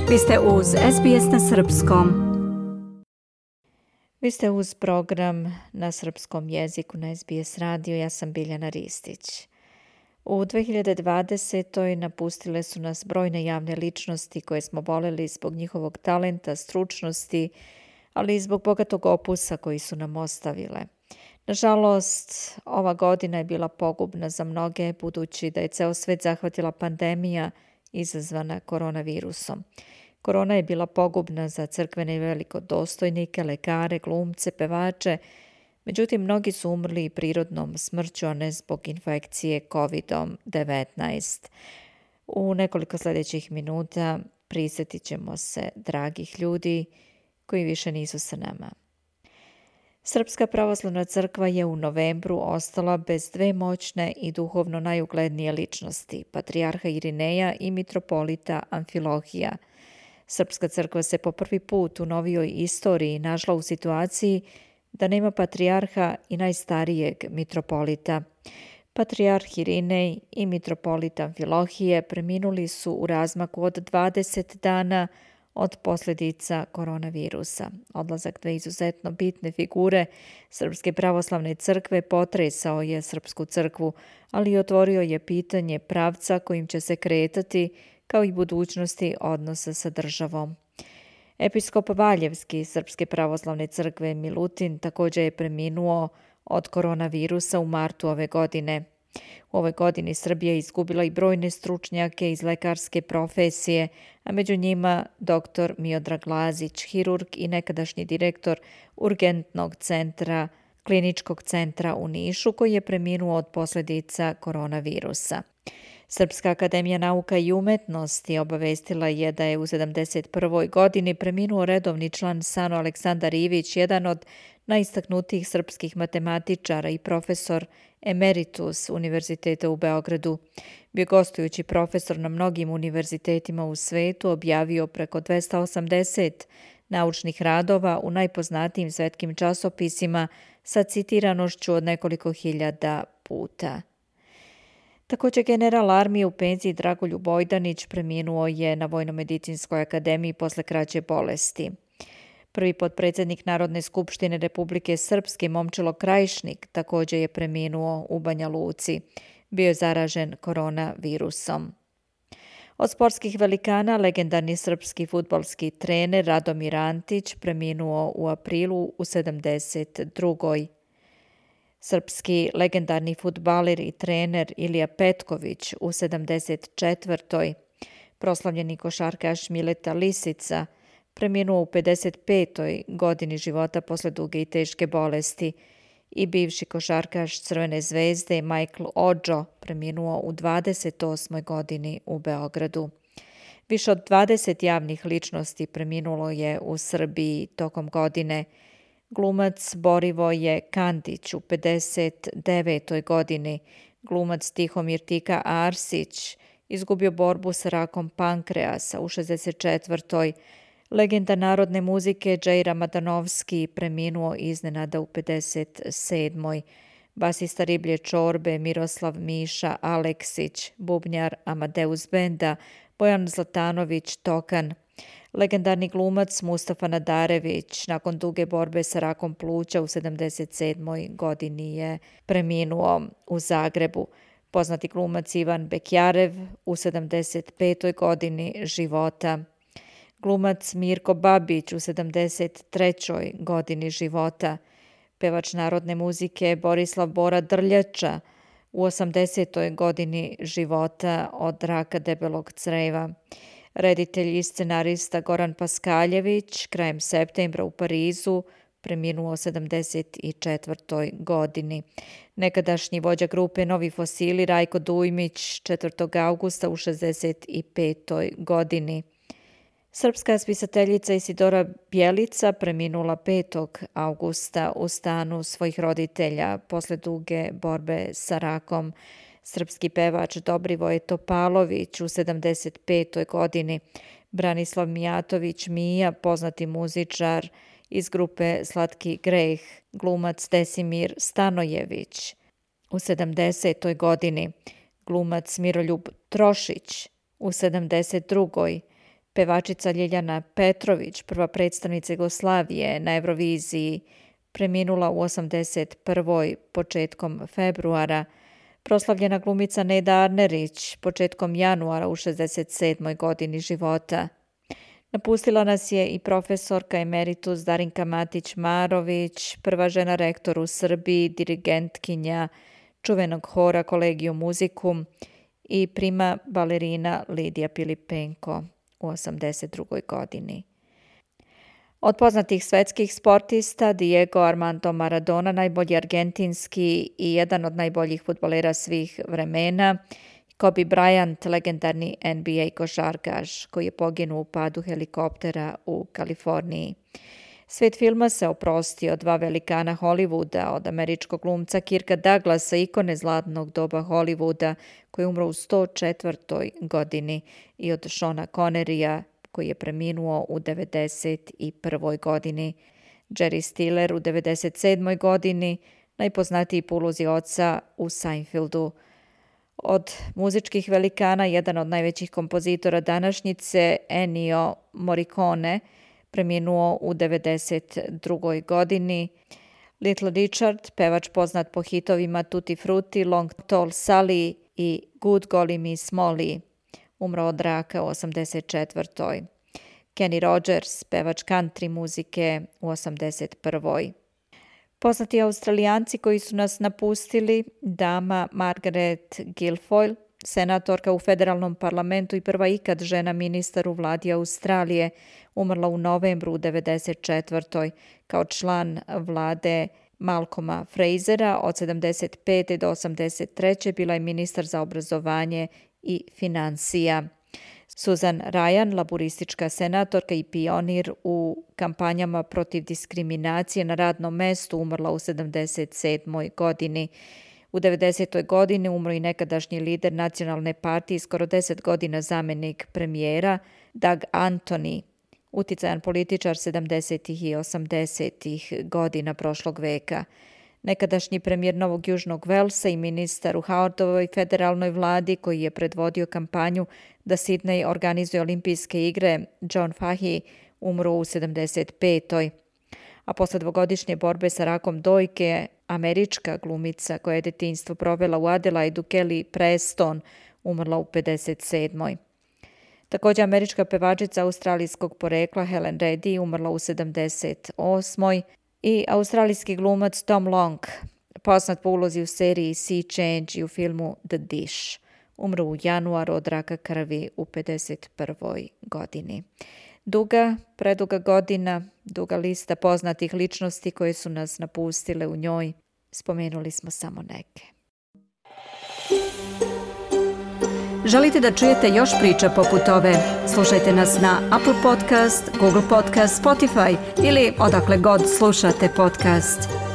Vi ste uz SBS na srpskom. Vi ste uz program na srpskom jeziku na SBS radio. Ja sam Biljana Ristić. U 2020. napustile su nas brojne javne ličnosti koje smo voleli zbog njihovog talenta, stručnosti, ali i zbog bogatog opusa koji su nam ostavile. Nažalost, ova godina je bila pogubna za mnoge, budući da je ceo svet zahvatila pandemija izazvana koronavirusom. Korona je bila pogubna za crkvene i velikodostojnike, lekare, glumce, pevače, međutim mnogi su umrli prirodnom smrću, a ne zbog infekcije COVID-19. U nekoliko sljedećih minuta prisjetit ćemo se dragih ljudi koji više nisu sa nama. Srpska pravoslavna crkva je u novembru ostala bez dve moćne i duhovno najuglednije ličnosti, patrijarha Irineja i mitropolita Amfilohija. Srpska crkva se po prvi put u novijoj istoriji našla u situaciji da nema patrijarha i najstarijeg mitropolita. Patrijarh Irinej i mitropolit Amfilohije preminuli su u razmaku od 20 dana od posljedica koronavirusa. Odlazak dve izuzetno bitne figure Srpske pravoslavne crkve potresao je Srpsku crkvu, ali i otvorio je pitanje pravca kojim će se kretati, kao i budućnosti odnosa sa državom. Episkop Valjevski Srpske pravoslavne crkve Milutin također je preminuo od koronavirusa u martu ove godine. U ovoj godini Srbija je izgubila i brojne stručnjake iz lekarske profesije, a među njima dr. Miodrag Lazić, hirurg i nekadašnji direktor urgentnog centra, kliničkog centra u Nišu, koji je preminuo od posljedica koronavirusa. Srpska akademija nauka i umetnosti obavestila je da je u 71. godini preminuo redovni član SANU Aleksandar Ivić, jedan od najistaknutijih srpskih matematičara i profesor emeritus Univerziteta u Beogradu. Bio gostujući profesor na mnogim univerzitetima u svetu, objavio preko 280 naučnih radova u najpoznatijim svetskim časopisima sa citiranošću od nekoliko hiljada puta. Također general armije u penziji Dragoljub Bojdanić preminuo je na Vojno-medicinskoj akademiji posle kraće bolesti. Prvi potpredsjednik Narodne skupštine Republike Srpske Momčilo Krajišnik također je preminuo u Banja Luci. Bio je zaražen koronavirusom. Od sportskih velikana legendarni srpski fudbalski trener Radomir Antić preminuo u aprilu u 72. Srpski legendarni fudbaler i trener Ilija Petković u 74. Proslavljeni košarkaš Mileta Lisica preminuo u 55. godini života posle duge i teške bolesti i bivši košarkaš Crvene zvezde Michael Odžo preminuo u 28. godini u Beogradu. Više od 20 javnih ličnosti preminulo je u Srbiji tokom godine. Glumac Borivoje Kandić u 59. godini, glumac Tihomir Tika Arsić izgubio borbu sa rakom pankreasa u 64. Legenda narodne muzike Džejra Madanovski preminuo iznenada u 57. Basista Riblje čorbe Miroslav Miša Aleksić, bubnjar Amadeus benda Bojan Zlatanović Tokan. Legendarni glumac Mustafa Nadarević nakon duge borbe sa rakom pluća u 77. godini je preminuo u Zagrebu. Poznati glumac Ivan Bekjarev u 75. godini života. Glumac Mirko Babić u 73. godini života. Pevač narodne muzike Borislav Bora Drljača u 80. godini života od raka debelog creva. Reditelj i scenarista Goran Paskaljević krajem septembra u Parizu preminuo u 74. godini. Nekadašnji vođa grupe Novi fosili Rajko Dujmić 4. augusta u 65. godini. Srpska spisateljica Isidora Bjelica preminula 5. augusta u stanu svojih roditelja posle duge borbe sa rakom. Srpski pevač Dobrivoje Topalović u 75. godini. Branislav Mijatović Mija, poznati muzičar iz grupe Slatki greh. Glumac Desimir Stanojević u 70. godini. Glumac Miroljub Trošić u 72. Pevačica Ljiljana Petrović, prva predstavnica Jugoslavije na Euroviziji, preminula u 81. početkom februara. Proslavljena glumica Neda Arnerić početkom januara u 67. godini života. Napustila nas je i profesorka emeritus Darinka Matić-Marović, prva žena rektor u Srbiji, dirigentkinja čuvenog hora Collegium Musicum i prima balerina Lidija Pilipenko u 82. godini. Od poznatih svetskih sportista Diego Armando Maradona, najbolji argentinski i jedan od najboljih fudbalera svih vremena, Kobe Bryant, legendarni NBA košarkaš koji je poginuo u padu helikoptera u Kaliforniji. Svet filma se oprostio od dva velikana Hollywooda, od američkog glumca Kirka Douglasa, ikone zlatnog doba Hollywooda, koji je umro u 104. godini, i od Seana Connerya, koji je preminuo u 91. godini. Jerry Stiller u 97. godini, najpoznatiji po ulozi oca u Seinfeldu. Od muzičkih velikana, jedan od najvećih kompozitora današnjice, Ennio Morricone, preminuo u 92. godini. Little Richard, pevač poznat po hitovima Tutti Frutti, Long Tall Sally i Good Golly Miss Molly, umro od raka u 84. Kenny Rogers, pevač country muzike, u 81. Poznati Australijanci koji su nas napustili, dama Margaret Guilfoyle, senatorka u federalnom parlamentu i prva ikad žena ministar u vladi Australije, umrla u novembru u 94. kao član vlade Malcolma Frasera. Od 75. do 83. bila je ministar za obrazovanje i financija. Susan Ryan, laburistička senatorka i pionir u kampanjama protiv diskriminacije na radnom mestu, umrla u 77. godini. U 90. godini umro i nekadašnji lider nacionalne partije, skoro 10 godina zamjenik premijera, Doug Anthony, uticajan političar 70. i 80. godina prošlog veka. Nekadašnji premijer Novog Južnog Velsa i ministar u Howardovoj federalnoj vladi koji je predvodio kampanju da Sydney organizuje olimpijske igre, John Fahey, umro u 75. A posle dvogodišnje borbe sa rakom dojke, američka glumica koja je detinjstvo provela u Adelaidu, Kelly Preston, umrla u 57. Također američka pevačica australijskog porekla Helen Reddy umrla u 78. i australijski glumac Tom Long, poznat po ulozi u seriji Sea Change i u filmu The Dish, umro u januaru od raka krvi u 51. godini. Preduga godina, duga lista poznatih ličnosti koje su nas napustile u njoj. Spomenuli smo samo neke. Želite da čujete još priča poput ove? Slušajte nas na Apple Podcast, Google Podcast, Spotify ili odakle god slušate podcast.